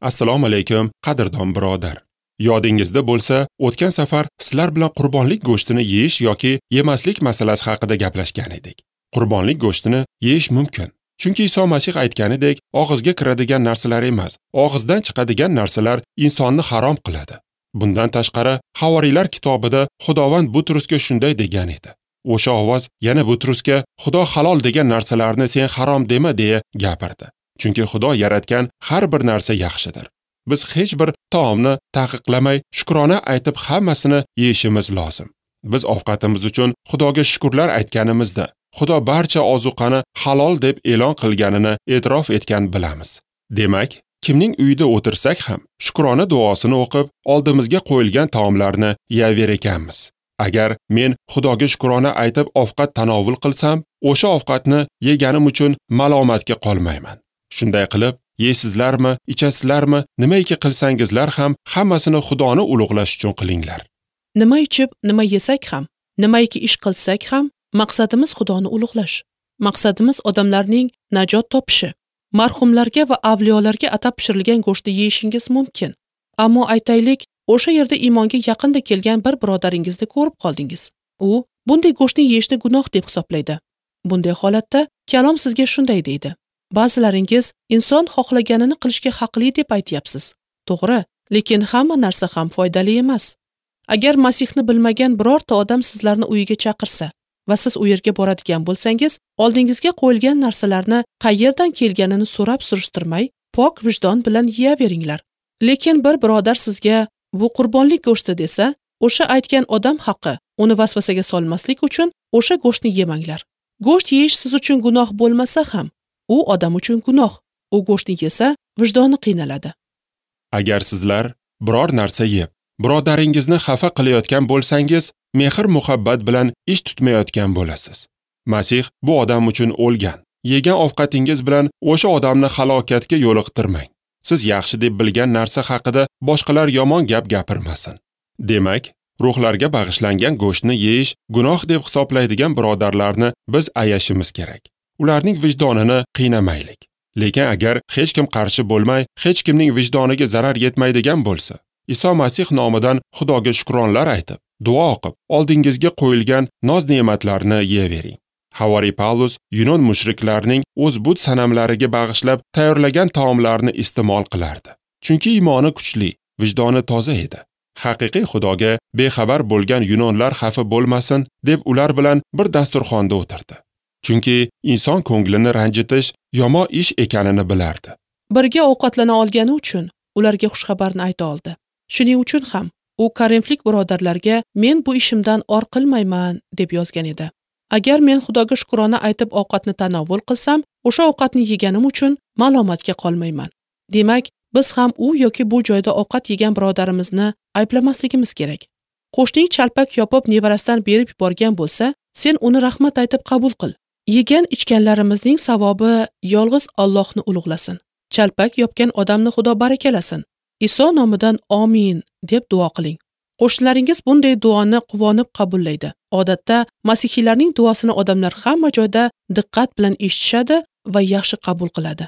Assalomu alaykum, qadrdon birodar. Yodingizda bo'lsa, o'tgan safar sizlar bilan qurbonlik go'shtini yeyish yoki yemaslik masalasi haqida gaplashgan edik. Qurbonlik go'shtini yeyish mumkin. Chunki Iso Masih aytganidek, og'izga kiradigan narsalar emas, og'izdan chiqadigan narsalar insonni harom qiladi. Bundan tashqari, Havoriylar kitobida Xudovand Butrusga shunday degan edi. O'sha ovoz yana Butrusga Xudo halol degan narsalarni sen harom dema deya gapirdi. Chunki Xudo yaratgan har bir narsa yaxshidir. Biz hech bir taomni taqiqlamay, shukrona aytib hammasini yeyishimiz lozim. Biz ovqatimiz uchun Xudoga shukrlar aytganimizda, Xudo barcha ozuqani halol deb e'lon qilganini e'tirof etgan bilamiz. Demak, kimning uyida o'tirsak ham shukrona duosini o'qib, oldimizga qo'yilgan taomlarni yeyaver ekanmiz. Agar men Xudoga shukrona aytib ovqat tanovul qilsam, o'sha ovqatni yeganim uchun malomatga qolmayman. Shunday qilib, yeysizlarmi, ichasizlarmi, nimaiki qilsangizlar ham hammasini Xudoni ulug'lash uchun qilinglar. Nima ichib, nima yesak ham, nimaiki ish qilsak ham, maqsadimiz Xudoni ulug'lash. Maqsadimiz odamlarning najot topishi. Marhumlarga va avliyolarga atab pishirilgan go'shtni yeyishingiz mumkin. Ammo aytaylik, o'sha yerda iymonga yaqinda kelgan bir birodaringizni ko'rib qoldingiz. U bunday go'shtni yeyishni gunoh deb hisoblaydi. Bunday holatda kalom sizga shunday deydi: ba'zilaringiz inson xohlaganini qilishga haqli deb aytyapsiz. To'g'ri, lekin hamma narsa ham foydali emas. Agar Masihni bilmagan birorta odam sizlarni uyiga chaqirsa va siz u yerga boradigan bo'lsangiz, oldingizga qo'yilgan narsalarni qayerdan kelganini so'rab surishtirmay, pok vijdon bilan yeyaveringlar. Lekin bir birodar sizga bu qurbonlik go'shti desa, o'sha aytgan odam haqi uni vasvasaga solmaslik uchun o'sha go'shtni yemanglar. Go'sht yeyish siz uchun gunoh bo'lmasa ham, u odam uchun gunoh. U go'shtni yesa, vijdoni qiynaladi. Agar sizlar biror narsa yeb, birodaringizni xafa qilayotgan bo'lsangiz, mehr-muhabbat bilan ish tutmayotgan bo'lasiz. Masih bu odam uchun o'lgan. Yegan ovqatingiz bilan o'sha odamni halokatga yo'liqtirmang. Siz yaxshi deb bilgan narsa haqida boshqalar yomon gap gapirmasin. Demak, ruhlarga bag'ishlangan go'shtni yeyish gunoh deb hisoblaydigan birodarlarni biz ayashimiz kerak. Ularning vijdonini qiynamaylik. Lekin agar hech kim qarshi bo'lmay, hech kimning vijdoniga zarar yetmaydigan bo'lsa, Iso Masih nomidan Xudoga shukronlar aytib, duo o'qib, oldingizga qo'yilgan noz-ne'matlarni yeyavering. Havoriy Pavlus Yunon mushriklarining o'z but sanamlariga bag'ishlab tayyorlagan taomlarni iste'mol qilardi. Chunki iymoni kuchli, vijdoni toza edi. Haqiqiy Xudoga bexabar bo'lgan yunonlar xafa bo'lmasin deb ular bilan bir dasturxonda o'tirdi. Chunki inson ko'nglini ranjitish yomon ish ekanini bilardi. Birga ovqatlana olgani uchun ularga xushxabarni ayta oldi. Shuning uchun ham u korinflik birodarlarga men bu ishimdan or qilmayman deb yozgan edi. Agar men Xudoga shukrona aytib ovqatni tanovul qilsam, o'sha ovqatni yeganim uchun malomatga qolmayman. Demak, biz ham u yoki bu joyda ovqat yegan birodarimizni ayblamasligimiz kerak. Qo'shning chalpak yopib nevarasidan berib yuborgan bo'lsa, sen uni rahmat aytib qabul qil. Yegan ichganlarimizning savobi yolg'iz Allohni ulug'lasin. Chalpak yopgan odamni Xudo barakalasin. Iso nomidan amin deb duo qiling. Qo'shnilaringiz bunday duoni quvonib qabullaydi. Odatda masihiylarning duosini odamlar hamma joyda diqqat bilan eshitishadi va yaxshi qabul qiladi.